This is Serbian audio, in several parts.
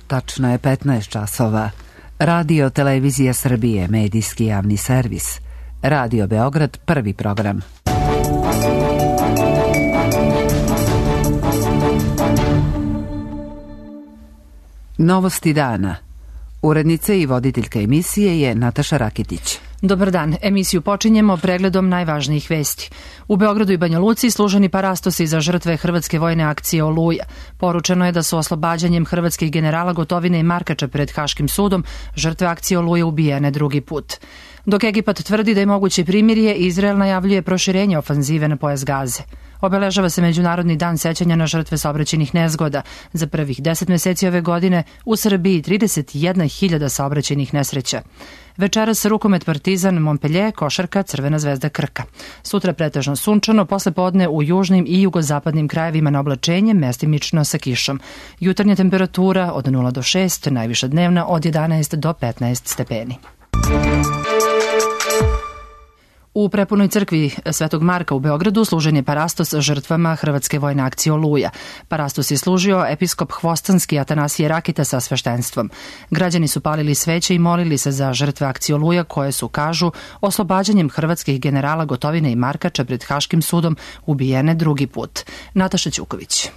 Tačno je 15 časova. Radio Televizija Srbije, medijski javni servis. Radio Beograd, prvi program. Novosti dana. Urednica i voditeljka emisije je Nataša Rakitić. Dobar dan. Emisiju počinjemo pregledom najvažnijih vesti. U Beogradu i Banja Luci služeni parastosi za žrtve hrvatske vojne akcije Oluja. Poručeno je da su oslobađanjem hrvatskih generala Gotovine i Markača pred Haškim sudom žrtve akcije Oluja ubijene drugi put. Dok Egipat tvrdi da je moguće primirje, Izrael najavljuje proširenje ofanzive na pojas Gaze. Obeležava se Međunarodni dan sećanja na žrtve saobraćajnih nezgoda. Za prvih 10 meseci ove godine u Srbiji 31.000 saobraćajnih nesreća. Večeras rukomet Partizan Montpellier, košarka Crvena zvezda Krka. Sutra pretežno sunčano, posle podne u južnim i jugozapadnim krajevima na oblačenje, mestimično sa kišom. Jutarnja temperatura od 0 do 6, najviša dnevna od 11 do 15 stepeni. U prepunoj crkvi Svetog Marka u Beogradu služen je parastos žrtvama hrvatske vojne akcije Oluja. Parastos je služio episkop Hvostanski Atanasije Rakita sa sveštenstvom. Građani su palili sveće i molili se za žrtve akcije Oluja koje su, kažu, oslobađanjem hrvatskih generala Gotovine i Markača pred Haškim sudom ubijene drugi put. Nataša Ćuković.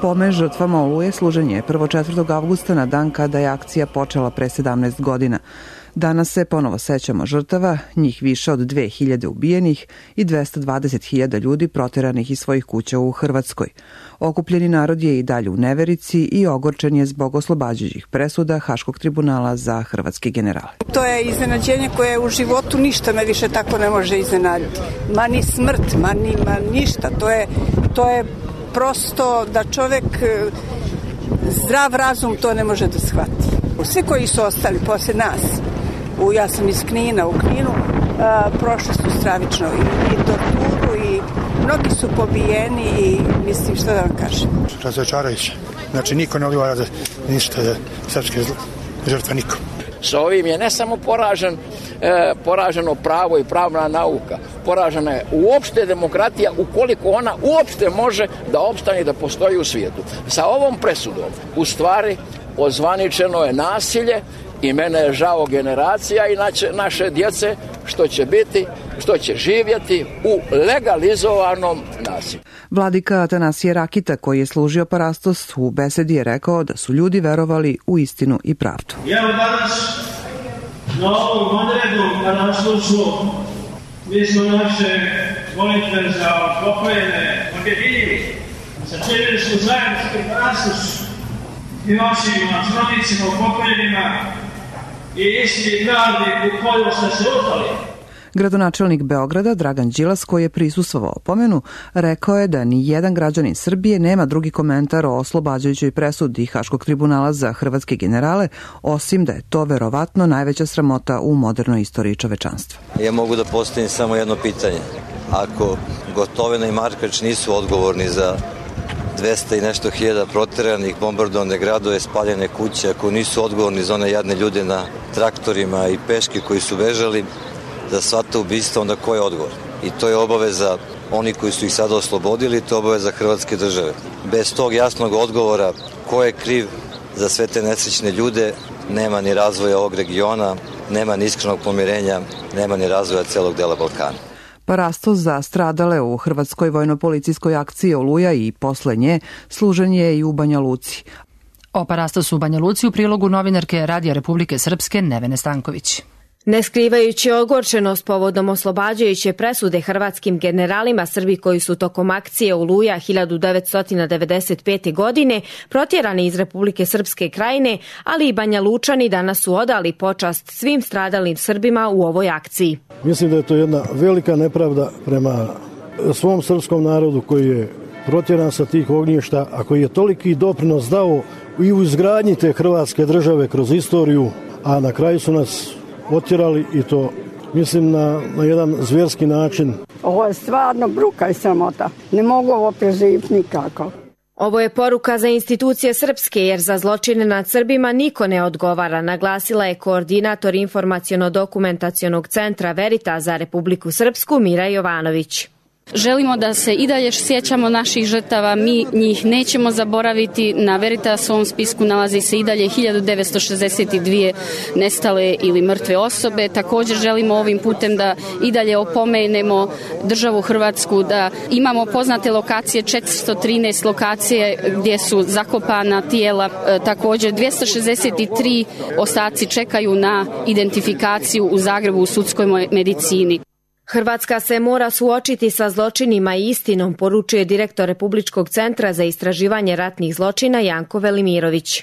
Pomen žrtvama Oluje služen je 4. avgusta na dan kada je akcija počela pre 17 godina. Danas se ponovo sećamo žrtava, njih više od 2000 ubijenih i 220.000 ljudi proteranih iz svojih kuća u Hrvatskoj. Okupljeni narod je i dalje u neverici i ogorčen je zbog oslobađajućih presuda Haškog tribunala za hrvatske generale. To je iznenađenje koje u životu ništa me više tako ne može iznenaditi. Ma ni smrt, ma ništa. To je prosto da čovek zdrav razum to ne može da shvati. Svi koji su ostali posle nas, ja sam iz Knina, u Kninu, prošli su stravično i torturu i mnogi su pobijeni i mislim šta da vam kažem. Razočarajuće. Znači niko ne odgovara za ništa za srpske žrtve, niko. Sa ovim je ne samo poraženo pravo i pravna nauka, poražena je uopšte demokratija ukoliko ona uopšte može da opstane i da postoji u svijetu. Sa ovom presudom u stvari ozvaničeno je nasilje i mene je žao generacija i naše djece što će živjeti u legalizovanom nasilju. Vladika Atanasije Rakita, koji je služio parastos, u besedi je rekao da su ljudi verovali u istinu i pravdu. Evo danas na ovom odrednom parastovstvu mi smo naše molitve za pokojene objedinili. Sačinili smo zajednički parastos i vašim srodnicima upokojenima i istini pravdi u koju ste se utali. Gradonačelnik Beograda Dragan Đilas, koji je prisustvovao pomenu, rekao je da ni jedan građanin Srbije nema drugi komentar o oslobađajućoj presudi Haškog tribunala za hrvatske generale, osim da je to verovatno najveća sramota u modernoj istoriji čovečanstva. Ja mogu da postavim samo jedno pitanje. Ako Gotovina i Markač nisu odgovorni za 200 i nešto hiljada proteranih, bombardovane gradove, spaljene kuće, ako nisu odgovorni za one jadne ljude na traktorima i peške koji su bežali, za sva ta ubistva, onda ko je odgovor? I to je obaveza oni koji su ih sada oslobodili, to je obaveza Hrvatske države. Bez tog jasnog odgovora ko je kriv za sve te nesrećne ljude, nema ni razvoja ovog regiona, nema ni iskrenog pomirenja, nema ni razvoja celog dela Balkana. Parastos za stradale u hrvatskoj vojno-policijskoj akciji Oluja i posle nje služen je i u Banja Luci. O parastosu u Banja Luci u prilogu novinarke Radija Republike Srpske Nevene Stanković. Ne skrivajući ogorčenost povodom oslobađajuće presude hrvatskim generalima, Srbi koji su tokom akcije Oluja 1995. godine protjerani iz Republike Srpske Krajine, ali i Banja Lučani danas su odali počast svim stradalim Srbima u ovoj akciji. Mislim da je to jedna velika nepravda prema svom srpskom narodu koji je protjeran sa tih ognjišta, a koji je toliki doprinos dao i u izgradnji te hrvatske države kroz istoriju, a na kraju su nas otjerali i to mislim na jedan zvjerski način. Ovo je stvarno bruka i sramota. Ne mogu ovo preživjeti nikako. Ovo je poruka za institucije srpske, jer za zločine nad Srbima niko ne odgovara, naglasila je koordinator informaciono-dokumentacionog centra Veritas za Republiku Srpsku Mira Jovanović. Želimo da se i dalje sjećamo naših žrtava, mi njih nećemo zaboraviti. Na Veritasovom spisku nalazi se i dalje 1962 nestale ili mrtve osobe. Također želimo ovim putem da i dalje opomenemo državu Hrvatsku, da imamo poznate lokacije, 413 lokacije gdje su zakopana tijela, također 263 ostaci čekaju na identifikaciju u Zagrebu u sudskoj medicini. Hrvatska se mora suočiti sa zločinima i istinom, poručuje direktor Republičkog centra za istraživanje ratnih zločina Janko Velimirović.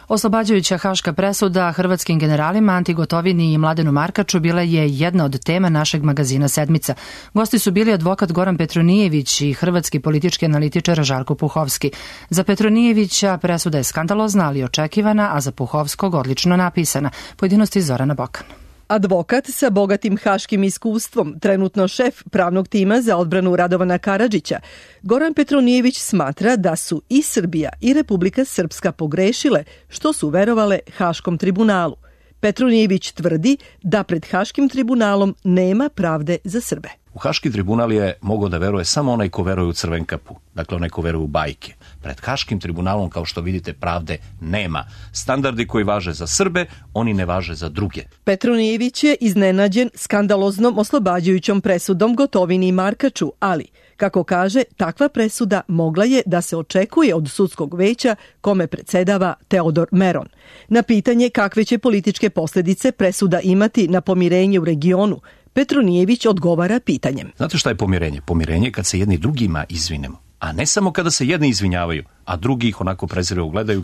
Oslobađajuća haška presuda hrvatskim generalima Anti Gotovini i Mladenu Markaču bila je jedna od tema našeg magazina Sedmica. Gosti su bili advokat Goran Petronijević i hrvatski politički analitičar Žarko Puhovski. Za Petronijevića presuda je skandalozna, ali očekivana, a za Puhovskog odlično napisana. Pojedinosti Zorana Bokan. Advokat sa bogatim haškim iskustvom, trenutno šef pravnog tima za odbranu Radovana Karadžića, Goran Petronijević smatra da su i Srbija i Republika Srpska pogrešile što su verovale Haškom tribunalu. Petronijević tvrdi da pred Haškim tribunalom nema pravde za Srbe. U Haški tribunal je mogao da veruje samo onaj ko veruje u Crvenkapu, dakle onaj ko veruje u bajke. Pred Haškim tribunalom, kao što vidite, pravde nema. Standardi koji važe za Srbe, oni ne važe za druge. Petronijević je iznenađen skandaloznom oslobađajućom presudom Gotovini i Markaču, ali, kako kaže, takva presuda mogla je da se očekuje od sudskog veća kome predsedava Teodor Meron. Na pitanje kakve će političke posljedice presuda imati na pomirenje u regionu, Petronijević odgovara pitanjem. Znate šta je pomirenje? Pomirenje je kad se jedni drugima izvinemo, a ne samo kada se jedni izvinjavaju, a drugi ih onako prezirno gledaju.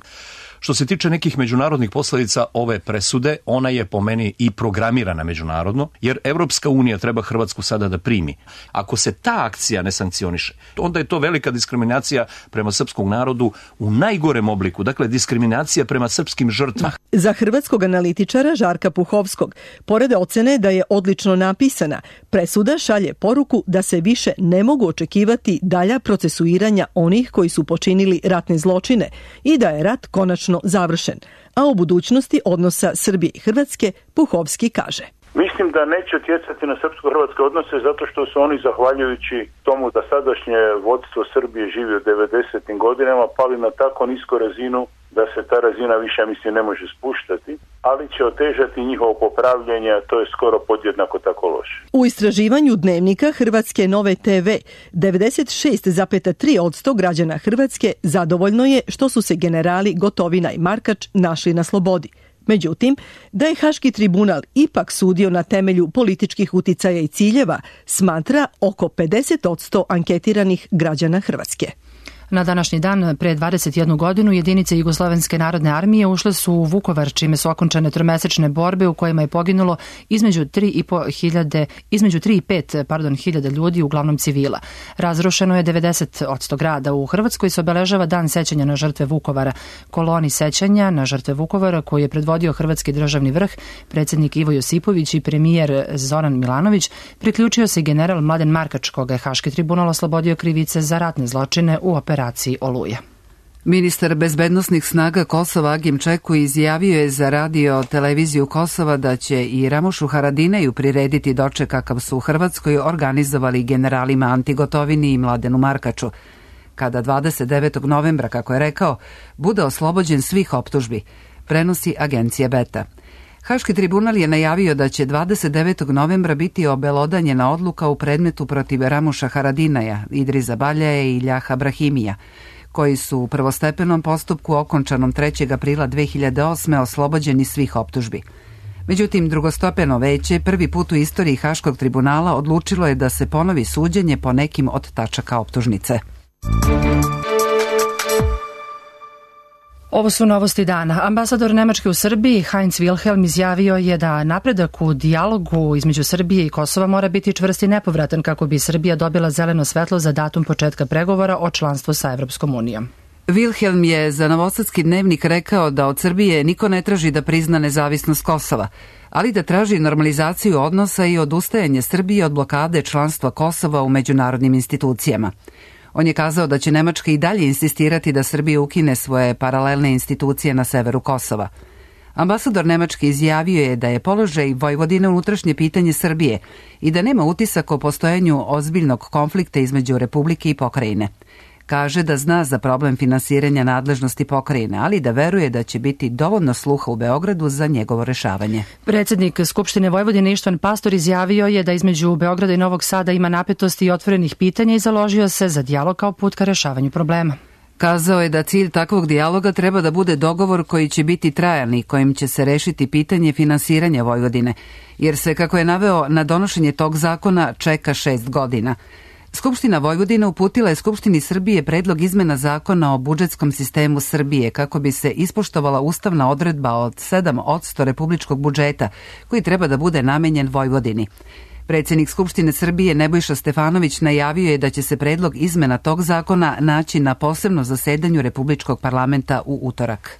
Što se tiče nekih međunarodnih posljedica ove presude, ona je po meni i programirana međunarodno, jer Evropska unija treba Hrvatsku sada da primi. Ako se ta akcija ne sankcioniše, onda je to velika diskriminacija prema srpskom narodu u najgorem obliku, dakle diskriminacija prema srpskim žrtvama. Za hrvatskog analitičara Žarka Puhovskog, pored ocene da je odlično napisana, presuda šalje poruku da se više ne mogu očekivati dalja procesuiranja onih koji su počinili ratne zločine i da je rat konačno završen, a o budućnosti odnosa Srbije i Hrvatske Puhovski kaže. Mislim da neće utjecati na srpsko-hrvatske odnose zato što su oni, zahvaljujući tomu da sadašnje vodstvo Srbije živi u 90. godinama, pali na tako nisku razinu da se ta razina više, mislim, ne može spuštati, ali će otežati njihovo popravljanje, a to je skoro podjednako tako loše. U istraživanju Dnevnika Hrvatske Nove TV, 96,3% građana Hrvatske zadovoljno je što su se generali Gotovina i Markač našli na slobodi. Međutim, da je Haški tribunal ipak sudio na temelju političkih uticaja i ciljeva, smatra oko 50% anketiranih građana Hrvatske. Na današnji dan, pre 21 godinu, jedinice Jugoslovenske narodne armije ušle su u Vukovar, čime su okončane tromesečne borbe u kojima je poginulo između 3 i 5 hiljada ljudi, uglavnom civila. Razrušeno je 90% grada. U Hrvatskoj se obeležava Dan sećanja na žrtve Vukovara. Koloni sećanja na žrtve Vukovara, koji je predvodio Hrvatski državni vrh, predsjednik Ivo Josipović i premijer Zoran Milanović, priključio se general Mladen Markač, koga je Haški tribunal oslobodio krivice za ratne zločine u operaciji Oluja. Ministar bezbednosnih snaga Kosova Agim Čeku izjavio je za radio televiziju Kosova da će i Ramušu Haradinaju prirediti doček kakav su u Hrvatskoj organizovali generalima Anti Gotovini i Mladenu Markaču, kada 29. novembra, kako je rekao, bude oslobođen svih optužbi, prenosi agencija Beta. Haški tribunal je najavio da će 29. novembra biti obelodanjena odluka u predmetu protiv Ramuša Haradinaja, Idriza Baljaja i Iljaha Brahimija, koji su u prvostepenom postupku okončanom 3. aprila 2008. oslobođeni svih optužbi. Međutim, drugostepeno veće prvi put u istoriji Haškog tribunala odlučilo je da se ponovi suđenje po nekim od tačaka optužnice. Ovo su novosti dana. Ambasador Nemačke u Srbiji, Heinz Wilhelm, izjavio je da napredak u dijalogu između Srbije i Kosova mora biti čvrst i nepovratan kako bi Srbija dobila zeleno svetlo za datum početka pregovora o članstvu sa Evropskom unijom. Wilhelm je za Novosadski dnevnik rekao da od Srbije niko ne traži da prizna nezavisnost Kosova, ali da traži normalizaciju odnosa i odustajanje Srbije od blokade članstva Kosova u međunarodnim institucijama. On je kazao da će Nemačka i dalje insistirati da Srbija ukine svoje paralelne institucije na severu Kosova. Ambasador Nemačke izjavio je da je položaj Vojvodine unutrašnje pitanje Srbije i da nema utisak o postojanju ozbiljnog konflikta između Republike i pokrajine. Kaže da zna za problem finansiranja nadležnosti pokrajine, ali da veruje da će biti dovoljno sluha u Beogradu za njegovo rešavanje. Predsjednik Skupštine Vojvodine Ištvan Pastor izjavio je da između Beograda i Novog Sada ima napetosti i otvorenih pitanja i založio se za dijalog kao put ka rešavanju problema. Kazao je da cilj takvog dijaloga treba da bude dogovor koji će biti trajan i kojim će se rešiti pitanje finansiranja Vojvodine, jer se, kako je naveo, na donošenje tog zakona čeka 6 godina. Skupština Vojvodine uputila je Skupštini Srbije predlog izmena zakona o budžetskom sistemu Srbije kako bi se ispoštovala ustavna odredba od 7% republičkog budžeta koji treba da bude namenjen Vojvodini. Predsjednik Skupštine Srbije Nebojša Stefanović najavio je da će se predlog izmena tog zakona naći na posebno zasedanju Republičkog parlamenta u utorak.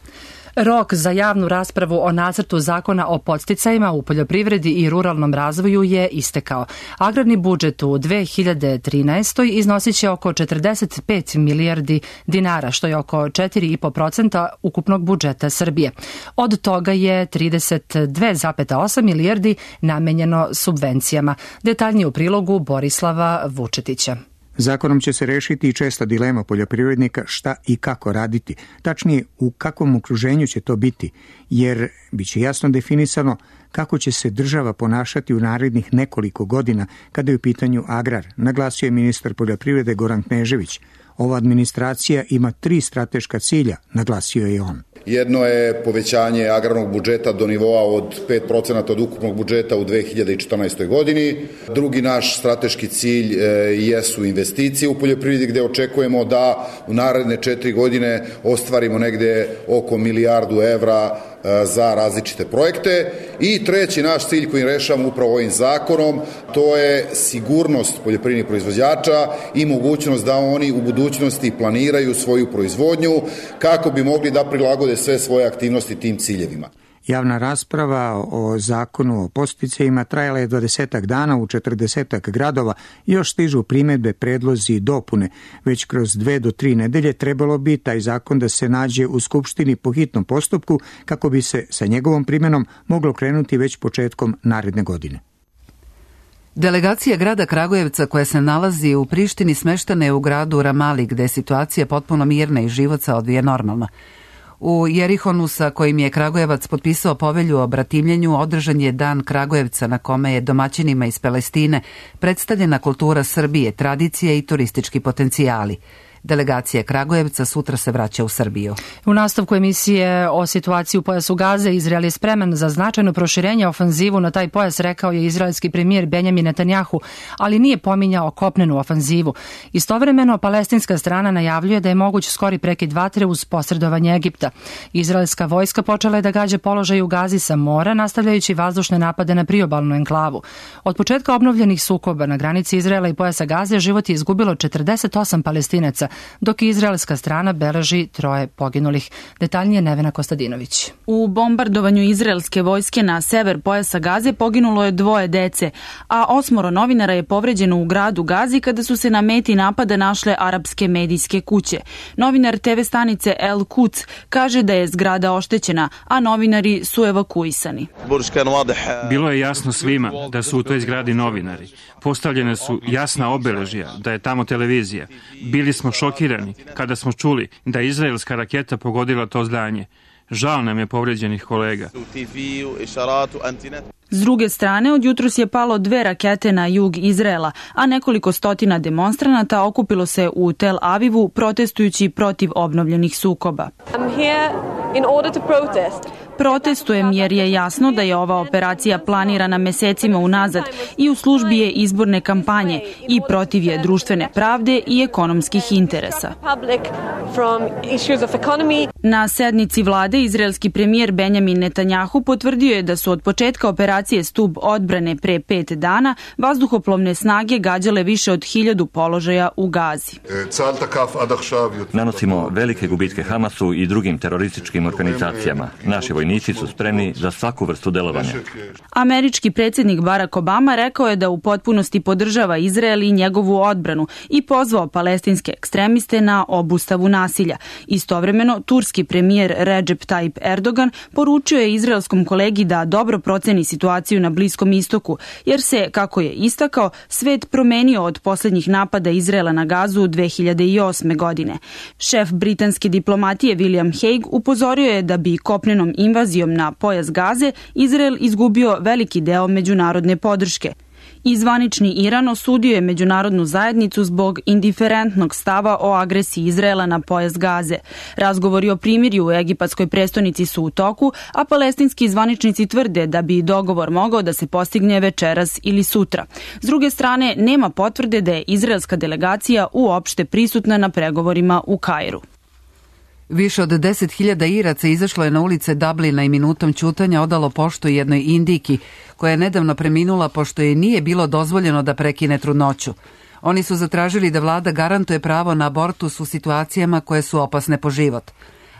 Rok za javnu raspravu o nacrtu zakona o podsticajima u poljoprivredi i ruralnom razvoju je istekao. Agrarni budžet u 2013. iznosit će oko 45 milijardi dinara, što je oko 4,5% ukupnog budžeta Srbije. Od toga je 32,8 milijardi namenjeno subvencijama. Detaljnije u prilogu Borislava Vučetića. Zakonom će se rešiti i česta dilema poljoprivrednika šta i kako raditi, tačnije u kakvom okruženju će to biti, jer biće jasno definisano kako će se država ponašati u narednih nekoliko godina kada je u pitanju agrar, naglasio je ministar poljoprivrede Goran Knežević. Ova administracija ima 3 strateška cilja, naglasio je on. Jedno je povećanje agrarnog budžeta do nivoa od 5% od ukupnog budžeta u 2014. godini. Drugi naš strateški cilj jesu investicije u poljoprivredi, gde očekujemo da u naredne 4 godine ostvarimo negde oko milijardu evra za različite projekte. I treći naš cilj koji rešavamo upravo ovim zakonom, to je sigurnost poljoprivrednih proizvođača i mogućnost da oni u budućnosti planiraju svoju proizvodnju kako bi mogli da prilagode sve svoje aktivnosti tim ciljevima. Javna rasprava o zakonu o podsticajima trajala je 20 dana u 40 gradova i još stižu primedbe, predlozi i dopune. Već kroz 2 do 3 nedelje trebalo bi taj zakon da se nađe u Skupštini po hitnom postupku kako bi se sa njegovom primenom moglo krenuti već početkom naredne godine. Delegacija grada Kragujevca koja se nalazi u Prištini smeštena je u gradu Ramali gde je situacija potpuno mirna i život se odvija normalno. U Jerihonu, sa kojim je Kragujevac potpisao povelju o bratimljenju, održan je Dan Kragujevca na kome je domaćinima iz Palestine predstavljena kultura Srbije, tradicije i turistički potencijali. Delegacija Kragujevca sutra se vraća u Srbiju. U nastavku emisije o situaciji u pojasu Gaze, Izrael je spreman za značajno proširenje ofanzivu na taj pojas, rekao je izraelski premijer Benjamin Netanjahu, ali nije pominjao kopnenu ofanzivu. Istovremeno, palestinska strana najavljuje da je moguć skori prekid vatre uz posredovanje Egipta. Izraelska vojska počela je da gađa položaj u Gazi sa mora, nastavljajući vazdušne napade na priobalnu enklavu. Od početka obnovljenih sukoba na granici Izraela i pojasa Gaze život je izgubilo 48 Palestinaca, dok izraelska strana beleži 3 poginulih. Detaljnije Nevena Kostadinović. U bombardovanju izraelske vojske na sever pojasa Gaze poginulo je 2 dece, a 8 novinara je povređeno u gradu Gazi kada su se na meti napada našle arapske medijske kuće. Novinar TV stanice El Quds kaže da je zgrada oštećena, a novinari su evakuisani. Bilo je jasno svima da su u toj zgradi novinari. Postavljene su jasna obeležja da je tamo televizija. Bili smo šokirani kada smo čuli da je izraelska raketa pogodila to zdanje. Žao nam je povređenih kolega. S druge strane, od jutros je palo 2 rakete na jug Izraela, a nekoliko stotina demonstranata okupilo se u Tel Avivu protestujući protiv obnovljenih sukoba. Protestujem jer je jasno da je ova operacija planirana mesecima unazad i u službi je izborne kampanje i protiv je društvene pravde i ekonomskih interesa. Na sednici vlade izraelski premijer Benjamin Netanjahu potvrdio je da su od početka operacije Stub odbrane pre 5 dana vazduhoplovne snage gađale više od 1000 položaja u Gazi. Nanosimo velike gubitke Hamasu i drugim terorističkim organizacijama. Naši vojnici vojnici su spremni za svaku vrstu delovanja. Američki predsjednik Barack Obama rekao je da u potpunosti podržava Izrael i njegovu odbranu i pozvao palestinske ekstremiste na obustavu nasilja. Istovremeno, turski premijer Recep Tayyip Erdogan poručio je izraelskom kolegi da dobro proceni situaciju na Bliskom istoku, jer se, kako je istakao, svet promenio od posljednjih napada Izraela na Gazu 2008. godine. Šef britanske diplomatije William Hague upozorio je da bi kopnenom invazijom na pojas Gaze Izrael izgubio veliki deo međunarodne podrške. I zvanični Iran osudio je međunarodnu zajednicu zbog indiferentnog stava o agresiji Izraela na pojas Gaze. Razgovori o primirju u egipatskoj prestonici su u toku, a palestinski zvaničnici tvrde da bi dogovor mogao da se postigne večeras ili sutra. S druge strane, nema potvrde da je izraelska delegacija uopšte prisutna na pregovorima u Kairu. Više od 10.000 Iraca izašlo je na ulice Dublina i minutom ćutanja odalo poštu jednoj Indijki, koja je nedavno preminula pošto je nije bilo dozvoljeno da prekine trudnoću. Oni su zatražili da vlada garantuje pravo na abortus u situacijama koje su opasne po život.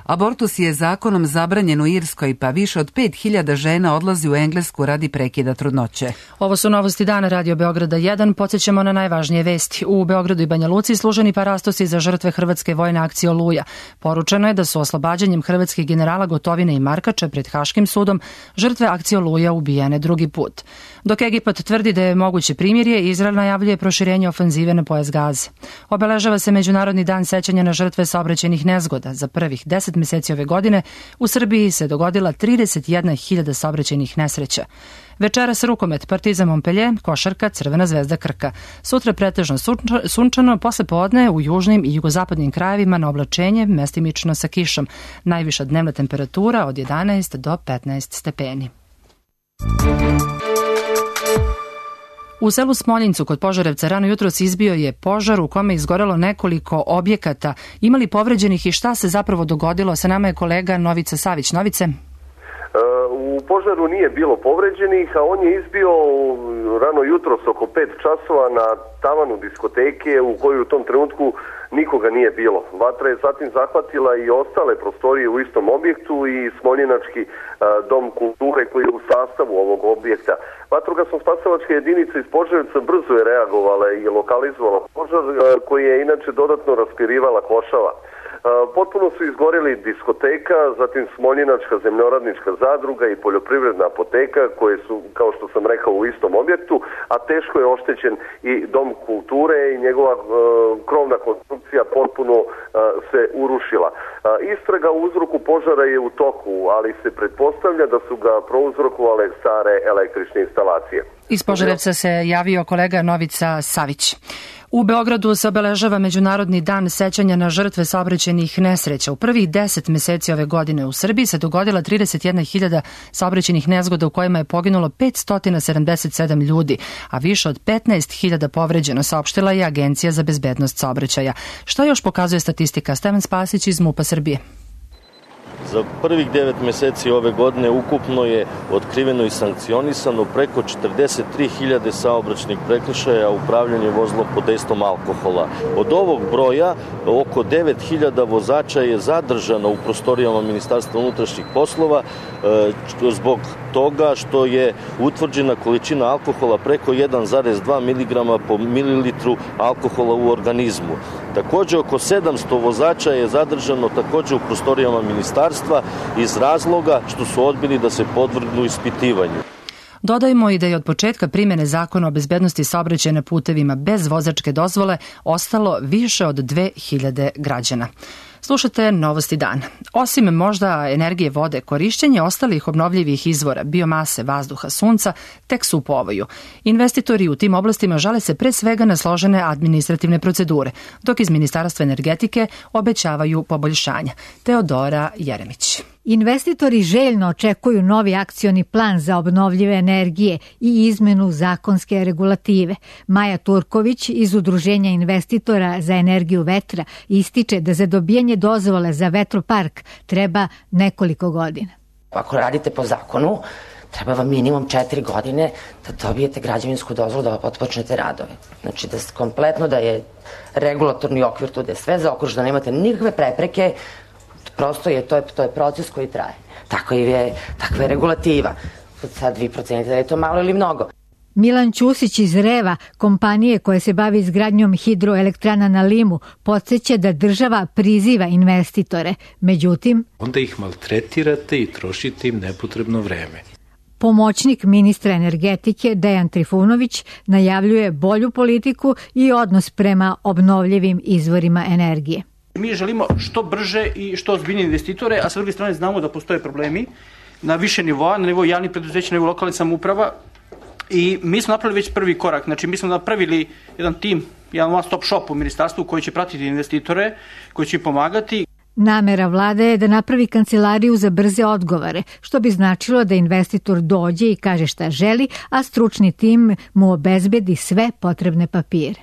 Abortus je zakonom zabranjen u Irskoj, pa više od 5.000 žena odlazi u Englesku radi prekida trudnoće. Ovo su novosti dana Radio Beograda 1. Podsjećamo na najvažnije vesti. U Beogradu i Banja Luci služeni parastosi za žrtve hrvatske vojne akcije Oluja. Poručeno je da su oslobađanjem hrvatskih generala Gotovine i Markača pred Haškim sudom žrtve akcije Oluja ubijene drugi put. Dok Egipat tvrdi da je moguće primirje, Izrael najavljuje proširenje ofenzive na pojas Gaze. Obeležava se Međunarodni dan sećanja na žrtve saobraćajnih nezgoda. Za prvih 10 meseci ove godine u Srbiji se dogodila 31.000 saobraćajnih nesreća. Večeras rukomet Partizan Montpellier, košarka Crvena zvezda Krka. Sutra pretežno sunčano, posle podne u južnim i jugozapadnim krajevima na oblačenje, mestimično sa kišom. Najviša dnevna temperatura od 11 do 15 stepeni. U selu Smoljincu kod Požarevca rano jutros izbio je požar u kome izgorelo nekoliko objekata. Ima li povređenih i šta se zapravo dogodilo? Sa nama je kolega Novica Savić. Novice? U požaru nije bilo povređenih, a on je izbio rano jutros oko 5 časova na tavanu diskoteke u kojoj u tom trenutku nikoga nije bilo. Vatra je zatim zahvatila i ostale prostorije u istom objektu i Smoljinački dom kulture koji je u sastavu ovog objekta. Vatrogasno-spasilačka jedinica iz Požarevca brzo je reagovala i lokalizovala požar koji je inače dodatno raspirivala košava. Potpuno su izgoreli diskoteka, zatim Smoljinačka zemljoradnička zadruga i poljoprivredna apoteka koje su, kao što sam rekao, u istom objektu, a teško je oštećen i dom kulture i njegova krovna konstrukcija potpuno se urušila. Istraga o uzroku požara je u toku, ali se pretpostavlja da su ga prouzrokovale stare električne instalacije. Iz Požarevca se javio kolega Novica Savić. U Beogradu se obeležava Međunarodni dan sećanja na žrtve saobraćajnih nesreća. U prvih 10 meseci ove godine u Srbiji se dogodila 31.000 saobraćajnih nezgoda u kojima je poginulo 577 ljudi, a više od 15.000 povređeno, saopštila je Agencija za bezbednost saobraćaja. Šta još pokazuje statistika? Stevan Spasić iz MUP-a Srbije. Za prvih 9 meseci ove godine ukupno je otkriveno i sankcionisano preko 43.000 saobraćajnih prekršaja upravljanje vozilom pod dejstvom alkohola. Od ovog broja oko 9.000 vozača je zadržano u prostorijama Ministarstva unutrašnjih poslova zbog toga što je utvrđena količina alkohola preko 1,2 mg po mililitru alkohola u organizmu. Također oko 700 vozača je zadržano također u prostorijama ministarstva iz razloga što su odbili da se podvrgnu ispitivanju. Dodajmo i da je od početka primjene zakona o bezbednosti saobraćaja na putevima bez vozačke dozvole ostalo više od 2.000 građana. Slušate Novosti dana. Osim možda energije vode, korišćenje ostalih obnovljivih izvora, biomase, vazduha, sunca, tek su u povoju. Investitori u tim oblastima žale se pre svega na složene administrativne procedure, dok iz Ministarstva energetike obećavaju poboljšanja. Teodora Jeremić. Investitori željno očekuju novi akcioni plan za obnovljive energije i izmenu zakonske regulative. Maja Turković iz Udruženja investitora za energiju vetra ističe da za dobijanje dozvole za vetropark treba nekoliko godina. Ako radite po zakonu, treba vam minimum 4 godine da dobijete građevinsku dozvolu da otpočnete radove. Znači kompletno da je regulatorni okvir tu, da je sve zaokruženo, da nemate nikakve prepreke. Prosto to je proces koji traje. takva je regulativa. Sad vi procenite da je to malo ili mnogo. Milan Ćusić iz Reva, kompanije koja se bavi izgradnjom hidroelektrana na Limu, podsjeća da država priziva investitore. Međutim, onda ih maltretirate i trošite im nepotrebno vreme. Pomoćnik ministra energetike Dejan Trifunović najavljuje bolju politiku i odnos prema obnovljivim izvorima energije. Mi želimo što brže i što ozbiljnije investitore, a sa druge strane znamo da postoje problemi na više nivoa, na nivou javnih preduzeća, na nivou lokalnih samouprava. I mi smo napravili već prvi korak, znači mi smo napravili jedan tim, jedan one stop shop u ministarstvu koji će pratiti investitore, koji će pomagati. Namera vlade je da napravi kancelariju za brze odgovore, što bi značilo da investitor dođe i kaže šta želi, a stručni tim mu obezbedi sve potrebne papire.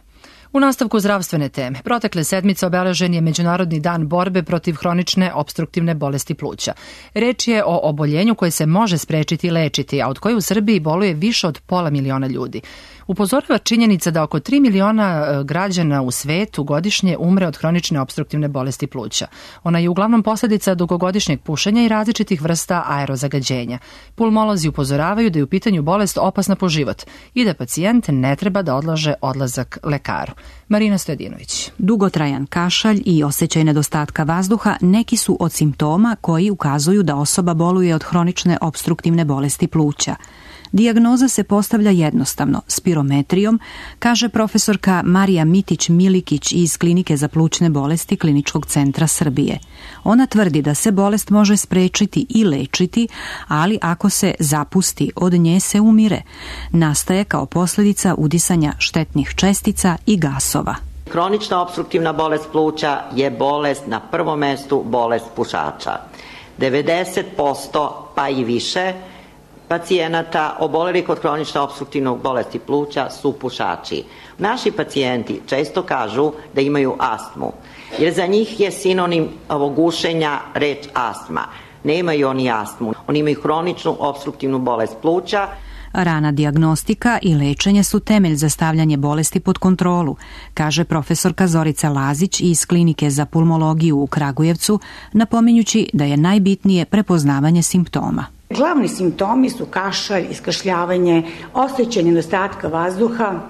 U nastavku zdravstvene teme, protekle sedmice obeležen je Međunarodni dan borbe protiv hronične opstruktivne bolesti pluća. Reč je o oboljenju koje se može sprečiti i lečiti, a od koje u Srbiji boluje više od 500 miliona ljudi. Upozorava činjenica da oko 3 miliona građana u svetu godišnje umre od hronične opstruktivne bolesti pluća. Ona je uglavnom posljedica dugogodišnjeg pušenja i različitih vrsta aerozagađenja. Pulmolozi upozoravaju da je u pitanju bolest opasna po život i da pacijent ne treba da odlaže odlazak lekaru. Marina Stojadinović. Dugotrajan kašalj i osjećaj nedostatka vazduha neki su od simptoma koji ukazuju da osoba boluje od hronične opstruktivne bolesti pluća. Dijagnoza se postavlja jednostavno, spirometrijom, kaže profesorka Marija Mitić-Milikić iz Klinike za plućne bolesti Kliničkog centra Srbije. Ona tvrdi da se bolest može sprečiti i lečiti, ali ako se zapusti, od nje se umire. Nastaje kao posljedica udisanja štetnih čestica i gasova. Hronična opstruktivna bolest pluća je bolest, na prvom mestu bolest pušača. 90% pa i više pacijenata obolelih od hronične opstruktivne bolesti pluća su pušači. Naši pacijenti često kažu da imaju astmu, jer za njih je sinonim ovog gušenja reč astma. Nemaju oni astmu, oni imaju hroničnu opstruktivnu bolest pluća. Rana dijagnostika i lečenje su temelj za stavljanje bolesti pod kontrolu, kaže profesorka Zorica Lazić iz Klinike za pulmologiju u Kragujevcu, napominjući da je najbitnije prepoznavanje simptoma. Glavni simptomi su kašalj, iskašljavanje, osjećaj nedostatka vazduha.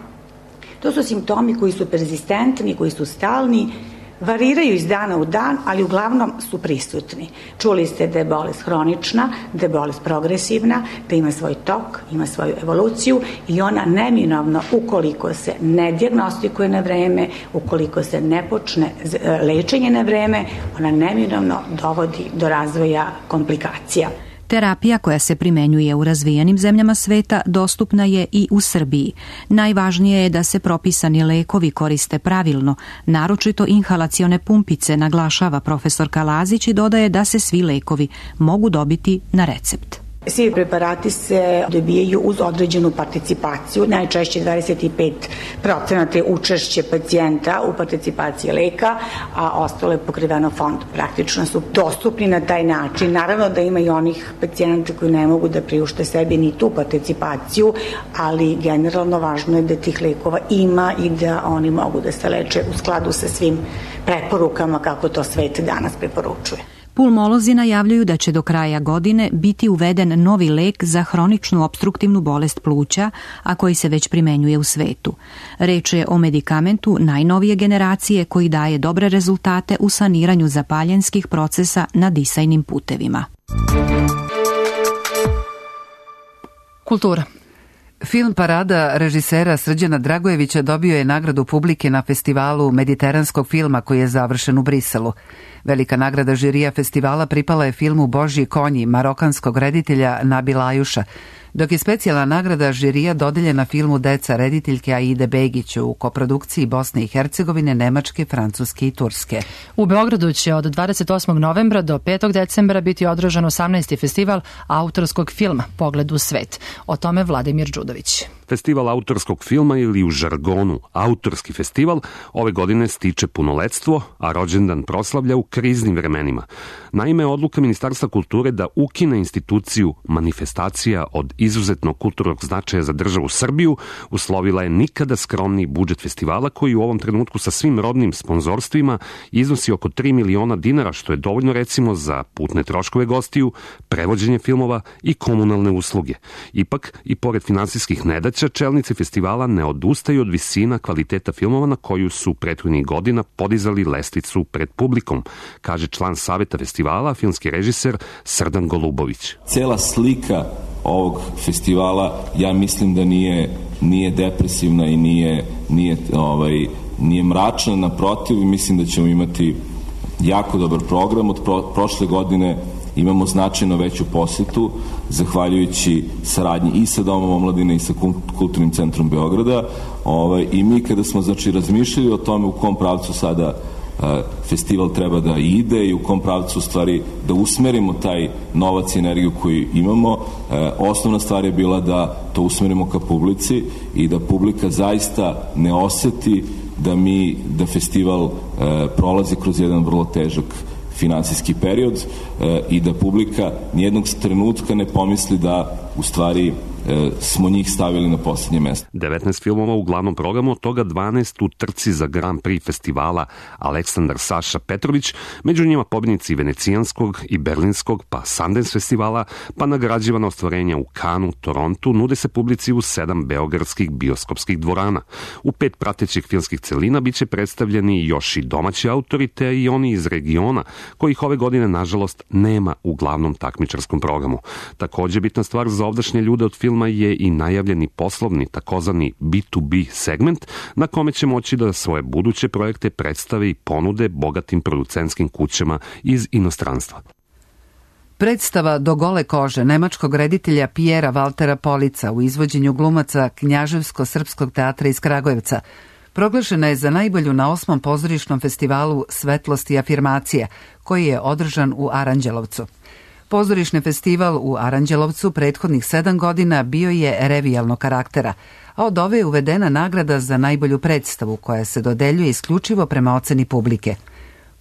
To su simptomi koji su perzistentni, koji su stalni, variraju iz dana u dan, ali uglavnom su prisutni. Čuli ste da je bolest hronična, da je bolest progresivna, da ima svoj tok, ima svoju evoluciju i ona neminovno, ukoliko se ne dijagnostikuje na vreme, ukoliko se ne počne lečenje na vreme, ona neminovno dovodi do razvoja komplikacija. Terapija koja se primenjuje u razvijenim zemljama sveta dostupna je i u Srbiji. Najvažnije je da se propisani lekovi koriste pravilno, naročito inhalacione pumpice, naglašava profesorka Lazić i dodaje da se svi lekovi mogu dobiti na recept. Svi preparati se dobijaju uz određenu participaciju, najčešće 25% je učešće pacijenta u participaciji leka, a ostalo je pokriveno fond. Praktično su dostupni na taj način. Naravno da ima i onih pacijenta koji ne mogu da priušte sebi ni tu participaciju, ali generalno važno je da tih lekova ima i da oni mogu da se leče u skladu sa svim preporukama kako to svet danas preporučuje. Pulmolozi najavljuju da će do kraja godine biti uveden novi lek za hroničnu opstruktivnu bolest pluća, a koji se već primenjuje u svetu. Reč je o medikamentu najnovije generacije koji daje dobre rezultate u saniranju zapaljenskih procesa na disajnim putevima. Kultura. Film Parada režisera Srđana Dragojevića dobio je nagradu publike na festivalu mediteranskog filma koji je završen u Briselu. Velika nagrada žirija festivala pripala je filmu Božji konji marokanskog reditelja Nabila Ajuša, dok je specijalna nagrada žirija dodeljena filmu Deca rediteljke Aide Begić u koprodukciji Bosne i Hercegovine, Nemačke, Francuske i Turske. U Beogradu će od 28. novembra do 5. decembra biti održan 18. festival autorskog filma Pogled u svet. O tome Vladimir Đudović. Festival autorskog filma ili u žargonu autorski festival ove godine stiče punoletstvo, a rođendan proslavlja u kriznim vremenima. Naime, odluka Ministarstva kulture da ukine instituciju manifestacija od izuzetnog kulturnog značaja za državu Srbiju uslovila je nikada skromniji budžet festivala koji u ovom trenutku sa svim rodnim sponzorstvima iznosi oko 3 miliona dinara, što je dovoljno recimo za putne troškove gostiju, prevođenje filmova i komunalne usluge. Ipak, i pored finansijskih nedaća, čelnici festivala ne odustaju od visina kvaliteta filmova na koju su prethodnih godina podizali lestvicu pred publikom, kaže član saveta festivala, filmski režiser Srdan Golubović. Cela slika ovog festivala, ja mislim da nije depresivna i nije mračna, naprotiv, mislim da ćemo imati jako dobar program. Od prošle godine imamo značajno veću posetu, zahvaljujući saradnji i sa Domom omladine i sa Kulturnim centrom Beograda. I mi kada smo razmišljali o tome u kom pravcu sada festival treba da ide i u kom pravcu stvari da usmerimo taj novac i energiju koju imamo, osnovna stvar je bila da to usmerimo ka publici i da publika zaista ne oseti da festival prolazi kroz jedan vrlo težak finansijski period i da publika nijednog trenutka ne pomisli da u stvari smo njih stavili na posljednje mesto. 19 filmova u glavnom programu, od toga 12 u trci za Grand Prix festivala Aleksandar Saša Petrović, među njima pobjednici Venecijanskog i Berlinskog, pa Sundance festivala, pa nagrađivana ostvarenja u Kanu, Torontu, nude se publici u 7 beogradskih bioskopskih dvorana. U 5 pratećih filmskih celina biće predstavljeni još i domaći autori, te i oni iz regiona, kojih ove godine, nažalost, nema u glavnom takmičarskom programu. Također bitna stvar za ovdašnje ljude od filma je i najavljeni poslovni, takozvani B2B segment, na kome će moći da svoje buduće projekte predstave i ponude bogatim producentskim kućama iz inostranstva. Predstava Do gole kože nemačkog reditelja Pijera Valtera Polica u izvođenju glumaca Knjaževsko-srpskog teatra iz Kragujevca proglašena je za najbolju na 8. pozorišnom festivalu Svetlost i afirmacija, koji je održan u Aranđelovcu. Pozorišni festival u Aranđelovcu prethodnih 7 godina bio je revijalnog karaktera, a od ove je uvedena nagrada za najbolju predstavu koja se dodeljuje isključivo prema oceni publike.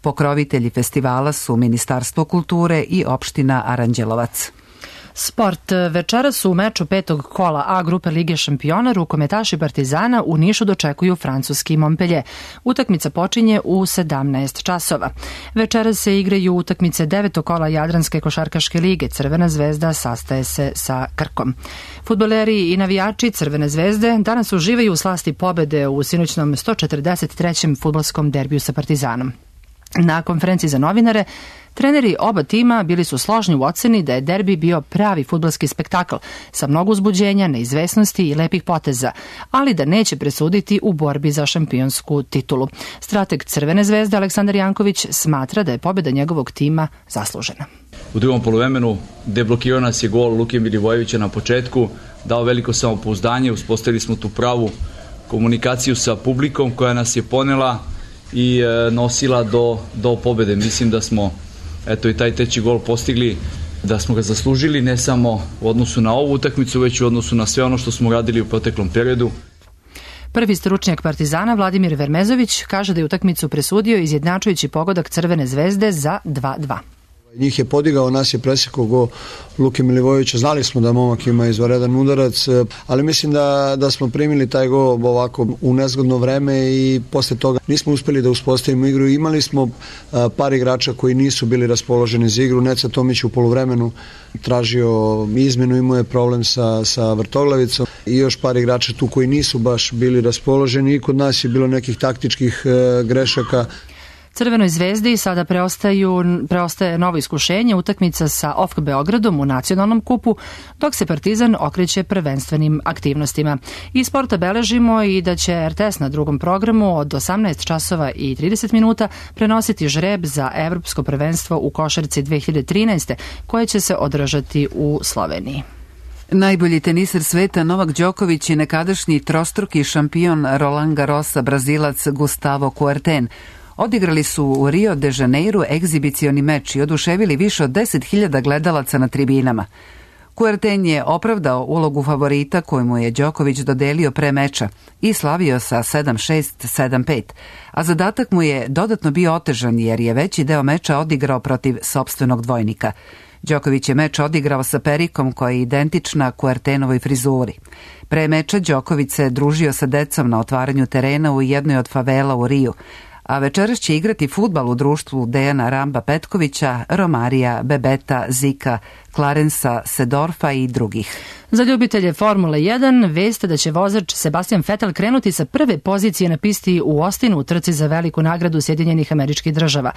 Pokrovitelji festivala su Ministarstvo kulture i opština Aranđelovac. Sport. Večeras u meču 5. kola A grupe Lige šampiona rukometaši Partizana u Nišu dočekuju francuski Montpellier. Utakmica počinje u 17 časova. Večeras se igraju utakmice 9. kola Jadranske košarkaške lige. Crvena zvezda sastaje se sa Krkom. Fudbaleri i navijači Crvene zvezde danas uživaju u slasti pobede u sinoćnom 143. fudbalskom derbiju sa Partizanom. Na konferenciji za novinare treneri oba tima bili su složni u oceni da je derbi bio pravi fudbalski spektakl sa mnogo uzbuđenja, neizvesnosti i lepih poteza, ali da neće presuditi u borbi za šampionsku titulu. Strateg Crvene zvezde Aleksandar Janković smatra da je pobjeda njegovog tima zaslužena. U drugom poluvremenu deblokirao nas je gol Luke Milivojevića na početku, dao veliko samopouzdanje, uspostavili smo tu pravu komunikaciju sa publikom koja nas je ponela i nosila do pobjede. Mislim da smo i taj treći gol postigli, da smo ga zaslužili ne samo u odnosu na ovu utakmicu, već u odnosu na sve ono što smo radili u proteklom periodu. Prvi stručnjak Partizana Vladimir Vermezović kaže da je utakmicu presudio izjednačujući pogodak Crvene zvezde za 2:2. Njih je podigao, nas je presekao go Luke Milivojevića. Znali smo da momak ima izvanredan udarac, ali mislim da smo primili taj go ovako u nezgodno vreme i posle toga nismo uspeli da uspostavimo igru. Imali smo par igrača koji nisu bili raspoloženi za igru. Neca Tomić u poluvremenu tražio izmenu, imao je problem sa vrtoglavicom i još par igrača tu koji nisu baš bili raspoloženi i kod nas je bilo nekih taktičkih grešaka. Crvenoj zvezdi sada preostaje novo iskušenje, utakmica sa OFK Beogradom u nacionalnom kupu, dok se Partizan okreće prvenstvenim aktivnostima. Iz sporta beležimo i da će RTS na drugom programu od 18 časova i 30 minuta prenositi žreb za Evropsko prvenstvo u košarci 2013. koje će se održati u Sloveniji. Najbolji teniser sveta Novak Đoković i nekadašnji trostruki šampion Roland Garrosa Brazilac Gustavo Kuerten odigrali su u Rio de Janeiru egzibicioni meč i oduševili više od 10.000 gledalaca na tribinama. Kuerten je opravdao ulogu favorita koju mu je Đoković dodelio pre meča i slavio sa 7-6, 7-5, a zadatak mu je dodatno bio otežan jer je veći deo meča odigrao protiv sopstvenog dvojnika. Đoković je meč odigrao sa perikom koja je identična Kuertenovoj frizuri. Pre meča Đoković se družio sa decom na otvaranju terena u jednoj od favela u Riju, a večeras će igrati fudbal u društvu Dejana Ramba Petkovića, Romarija, Bebeta, Zika, Clarensa, Sedorfa i drugih. Za ljubitelje Formule 1 veste da će vozač Sebastian Vettel krenuti sa prve pozicije na pisti u Austinu u trci za veliku nagradu Sjedinjenih Američkih Država.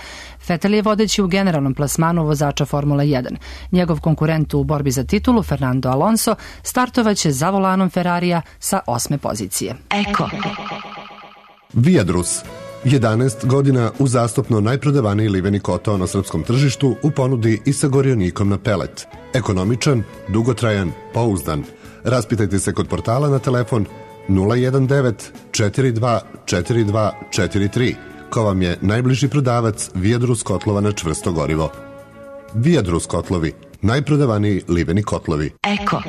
Vettel je vodeći u generalnom plasmanu vozača Formule 1. Njegov konkurent u borbi za titulu, Fernando Alonso, startovaće za volanom Ferrarija sa 8. pozicije. Eko. Viadrus. 11 godina uzastopno najprodavaniji liveni koto na srpskom tržištu u ponudi i sa gorionikom na pelet. Ekonomičan, dugotrajan, pouzdan. Raspitajte se kod portala na telefon 019 42 42 43, ko vam je najbliži prodavac Viadrus kotlova na čvrsto gorivo. Viadrus kotlovi, najprodavaniji liveni kotlovi. Eko.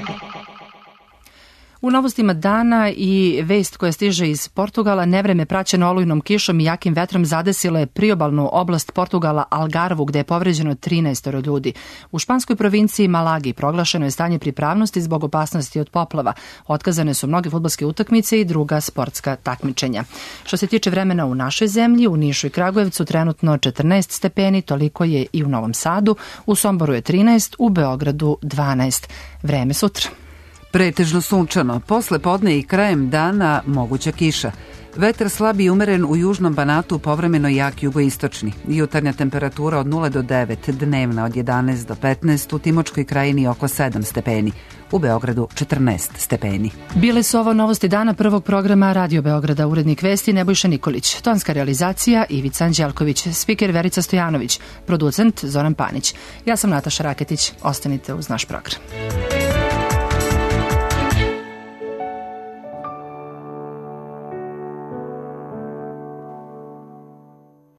U novostima dana i vest koja stiže iz Portugala, nevreme praćeno olujnom kišom i jakim vetrom zadesilo je priobalnu oblast Portugala Algarvu, gde je povređeno 13 ljudi. U španskoj provinciji Malagi proglašeno je stanje pripravnosti zbog opasnosti od poplava. Otkazane su mnoge fudbalske utakmice i druga sportska takmičenja. Što se tiče vremena u našoj zemlji, u Nišu i Kragujevcu trenutno 14 stepeni, toliko je i u Novom Sadu, u Somboru je 13, u Beogradu 12. Vreme sutra. Pretežno sunčano, posle podne i krajem dana moguća kiša. Vetar slab i umeren u južnom Banatu, povremeno jak jugoistočni. Jutarnja temperatura od 0 do 9, dnevna od 11 do 15, u Timočkoj krajini oko 7 stepeni. U Beogradu 14 stepeni. Bile su ovo novosti dana prvog programa Radio Beograda, urednik vesti Nebojša Nikolić, tonska realizacija Ivica Anđelković, spiker Verica Stojanović, producent Zoran Panić. Ja sam Nataša Raketić, ostanite uz naš program.